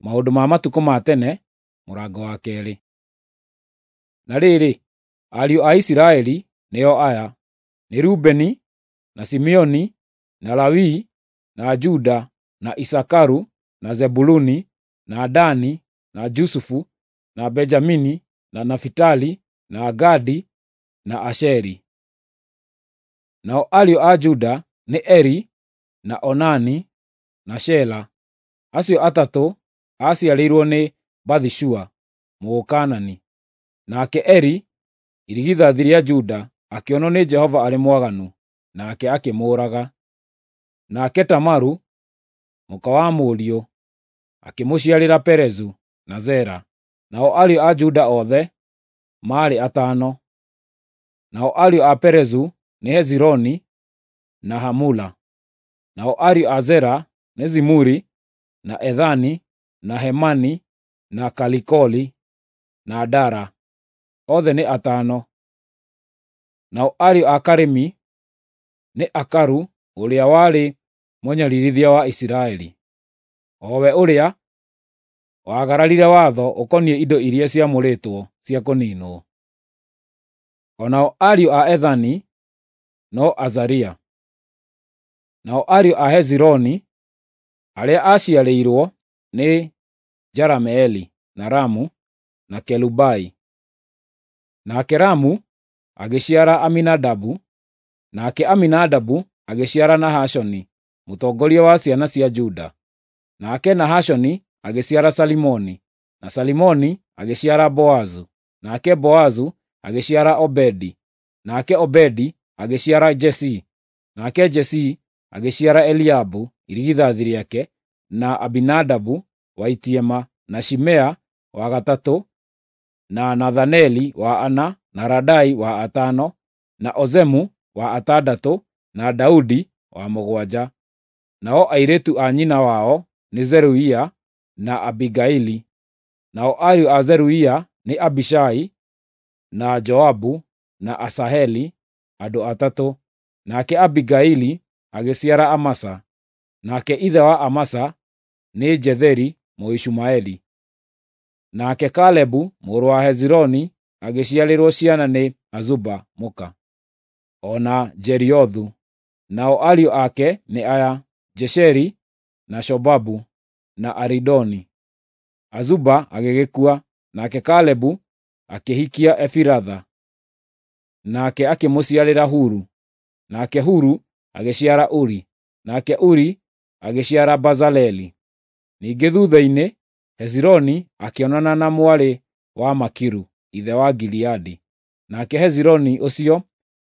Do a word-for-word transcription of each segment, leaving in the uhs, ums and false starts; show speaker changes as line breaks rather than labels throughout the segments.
Maũndũ ma Matukũ ma Tene, mũrango wa keerĩ. Na rĩrĩ, ariũ a Isiraeli nĩo aya: nĩ Rubeni, na Simeoni, na Lawi, na Juda, na Isakaru, na Zebuluni, na Dani, na Jusufu, na Benjamini, na Nafitali, na Gadi, na Asheri. Nao ariũ a Juda nĩ Eri, na Onani, na Shela. Acio atatũ aaciarĩirwo nĩ Bathishua, Mũkaanani. Nake Eri, irigithathi rĩa Juda, akĩonwo nĩ Jehova arĩ mwaganu, nake akĩmũũraga. Nake Tamaru, mũka wa mũriũ, akĩmũciarĩra Perezu na Zera. Nao ariũ a Juda othe maarĩ atano. Nao ariũ a Perezu nĩ Hezironi na Hamula. Nao ariũ a Zera nĩ Zimuri na Ethani na Hemani na Kalikoli na Dara. Othe nĩ atano. Nao ariũ a Karimi nĩ Akaru ũrĩa warĩ mũnyaririthia wa Isiraeli, o we ũrĩa waagararire watho ũkoniĩ indo iria ciamũrĩtwo cia kũniinwo. O nao ariũ a Ethani no Azaria. Nao ariũ a Hezironi arĩa aaciarĩirwo nĩ Jerameeli, na Ramu, na Kelubai. Nake Ramu agĩciara Aminadabu, nake Aminadabu agĩciara Nahashoni, mũtongoria wa ciana cia Juda. Nake Nahashoni agĩciara Salimoni, na Salimoni agĩciara Boazu, nake Boazu agĩciara Obedi, nake Obedi agĩciara Jesii, nake Jesii agĩciara Eliabu irigithathi rĩake, na Abinadabu wa itiema, na Shimea wa gatatũ, na Nathaneli wa ana, na Radai wa atano, na Ozemu wa atandatũ, na Daudi wa mũgwanja. Nao airĩtu a nyina wao nĩ Zeruia na Abigaili. Nao ariũ a Zeruia nĩ Abishai na Joabu na Asaheli, andũ atatũ. Nake Abigaili agĩciara Amasa. Nake ithe wa Amasa nĩ Jetheri Mũishumaeli. Nake Kalebu mũrũ wa Hezironi agĩciarĩrwo ciana nĩ Azuba mũka, o na Jeriothu. Nao ariũ ake nĩ aya: Jesheri na Shobabu na Aridoni. Azuba agĩgĩkua, nake Kalebu akĩhikia Efiratha, nake akĩmũciarĩra Huru. Nake Huru agĩciara Uri, nake Uri agĩciara Bazaleli. Ningĩ thutha-inĩ Hezironi akĩonana na mwarĩ wa Makiru, ithe wa Gileadi. Nake Hezironi ũcio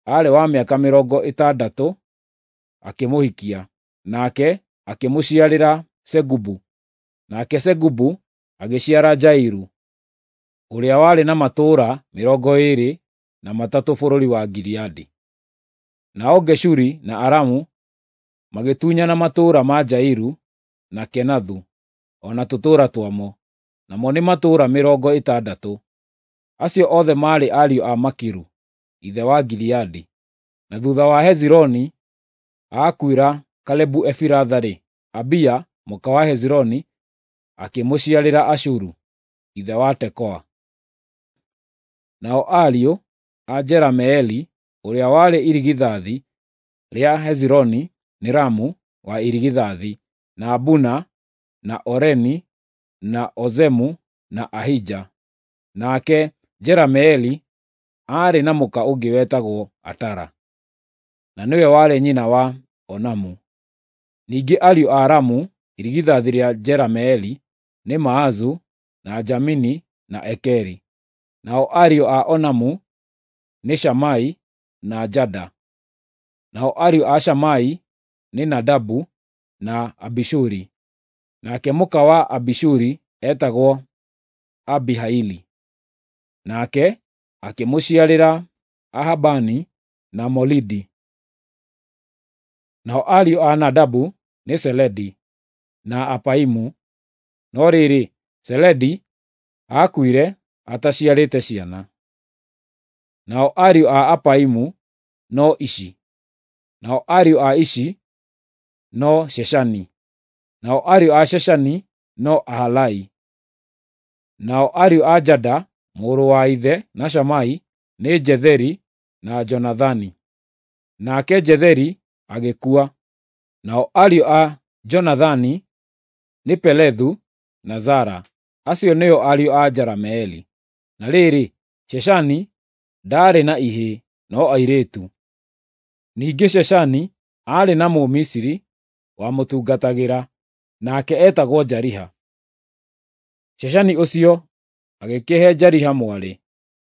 aarĩ wa mĩaka mĩrongo ĩtandatũ, akĩmũhikia, nake akĩmũciarĩra Segubu. Nake Segubu agĩciara Jairu, ũrĩa warĩ na matũũra mĩrongo ĩĩrĩ na matatũ bũrũri wa Gileadi. Nao Geshuri na Aramu magĩtunyana matũũra ma Jairu na Kenathu, o na tũtũũra twamo, namo nĩ matũũra mĩrongo ĩtandatũ. Acio othe maarĩ ariũ a Makiru, ithe wa Gileadi. Na thutha wa Hezironi aakuĩra Kalebu Efiratha-rĩ, Abia mũka wa Hezironi akĩmũciarĩra Ashuru, ithe wa Tekoa. Nao ariũ a Jerameeli ũrĩa warĩ irigithathi rĩa Hezironi nĩ Ramu wa irigithathi, na Buna, na Oreni, na Ozemu, na Ahija. Nake Jerameeli aarĩ na mũka ũngĩ wetagwo Atara, na nĩwe warĩ nyina wa Onamu. Ningĩ ariũ a Ramu irigithathi rĩa Jerameeli nĩ Maazu, na Jamini, na Ekeri. Nao ariũ a Onamu nĩ Shamai na Jada. Nao ariũ a Shamai nĩ Nadabu na Abishuri. Nake mũka wa Abishuri etagwo Abihaili. Nake akĩmũciarĩra Ahabani na Molidi. Nao ariũ a Nadabu nĩ Seledi na Apaimu. No rĩrĩ, Seledi aakuire ataciarĩte ciana. Nao ariũ a Apaimu no Ishi. Nao ariũ a Ishi no Sheshani. Nao ariũ a Sheshani no Ahalai. Nao ariũ a Jada mũrũ wa ithe na Shamai nĩ Jetheri na Jonathani. Nake Jetheri agĩkua. Nao ariũ a Jonathani nĩ Pelethu na Zara. Acio nĩo ariũ a Jerameeli. Na rĩrĩ, Sheshani ndaarĩ na ihĩĩ no airĩtu. Ningĩ Sheshani aarĩ na Mũmisiri wamũtungatagĩra, nake eetagwo Jariha. Sheshani ũcio agĩkĩhe Jariha mwarĩ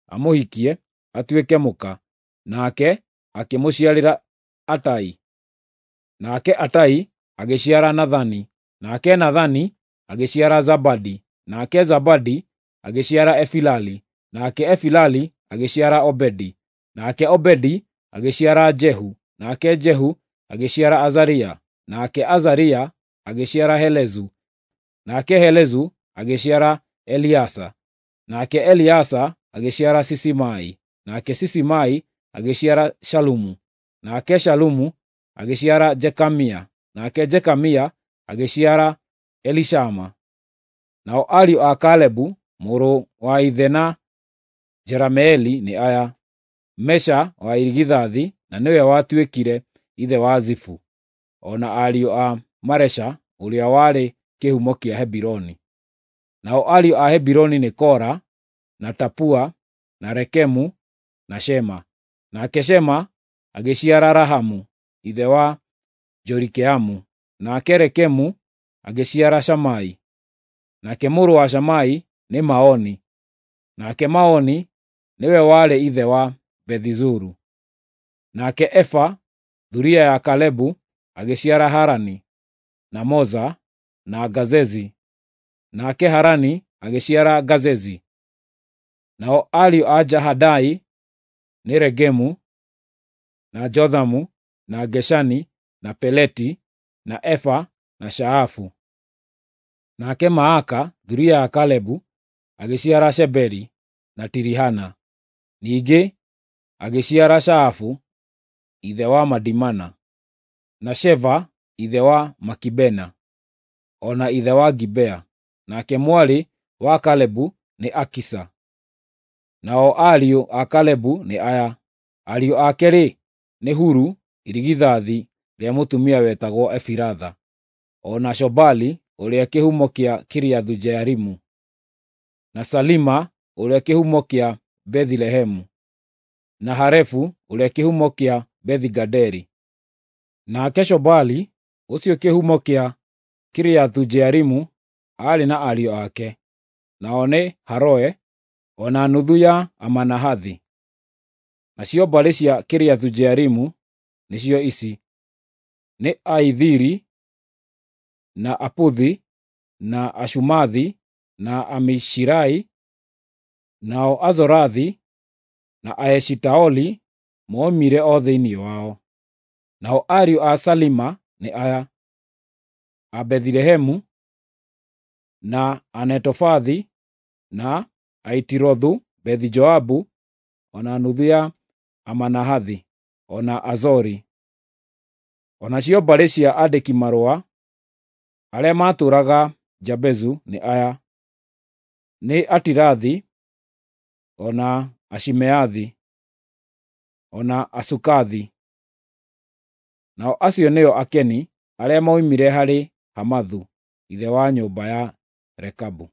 amũhikie atuĩke mũka, nake akĩmũciarĩra Atai. Nake Atai agĩciara Nathani, nake Nathani agĩciara Zabadi, nake Zabadi agĩciara Efilali, nake Efilali agĩciara Obedi, nake Obedi agĩciara Jehu, nake Jehu agĩciara Azaria, nake Azaria agĩciara Helezu, nake Helezu agĩciara Eliasa, nake Eliasa agĩciara Sisimai, nake Sisimai agĩciara Shalumu, nake Shalumu agĩciara Jekamia, nake Jekamia agĩciara Elishama. Nao ariũ a Kalebu mũrũ wa ithe na Jerameeli nĩ aya: Mesha wa irigithathi na nĩwe watuĩkire ithe wa Zifu, o na ariũ a Maresha ũrĩa warĩ kĩhumo kĩa Hebironi. Nao ariũ a Hebironi nĩ Kora, na Tapua, na Rekemu, na Shema. Nake Shema agĩciara Rahamu ithe wa Jorikeamu, nake Rekemu agĩciara Shamai. Nake mũrũ wa Shamai nĩ Maoni, nake Maoni nĩwe warĩ ithe wa Bethizuru. Nake Efa thuriya ya Kalebu agĩciara Harani, na Moza, na Gazezi. Nake Harani agĩciara Gazezi. Nao ariũ a Jahadai nĩ Regemu, na Jothamu, na Geshani, na Peleti, na Efa, na Shaafu. Nake Maaka thuriya ya Kalebu agĩciara Sheberi na Tirihana. Ningĩ agĩciara Shaafu ithe wa Madimana, na Sheva ithe wa Makibena, o na ithe wa Gibea. Nake mwarĩ wa Kalebu nĩ Akisa. Nao ariũ a Kalebu nĩ aya: ariũ ake-rĩ, nĩ Huru irigithathi rĩa mũtumia wetagwo Efiratha, o na Shobali ũrĩa kĩhumo kĩa Kiriathu-Jearimu, na Salima ũrĩa kĩhumo kĩa Bethilehemu, na Harefu ũrĩa kĩhumo kĩa Bethi-Gaderi. Nake Shobali ũcio kĩhumo kĩa Kiriathu-Jearimu aarĩ na ariũ ake, nao nĩ Haroe o na nuthu ya Amanahathi. Nacio mbarĩ cia Kiriathu-Jearimu nĩcio ici: nĩ Aithiri, na Aputhi, na Ashumathi, na Amishirai. Nao Azorathi na Aeshitaoli moimire o thĩinĩ wao. Nao ariũ a Salima nĩ aya: a Bethilehemu, na Anetofathi, na Aitirothu Bethi-Joabu, o na nuthu ya Amanahathi, o na Azori. O nacio mbarĩ cia andĩki-marũa arĩa maatũũraga Jabezu nĩ aya: nĩ Atirathi, o na Ashimeathi, o na Asukathi. Nao acio nĩo Akeni arĩa moimire harĩ Hamathu ithe wa nyũmba ya Rekabu.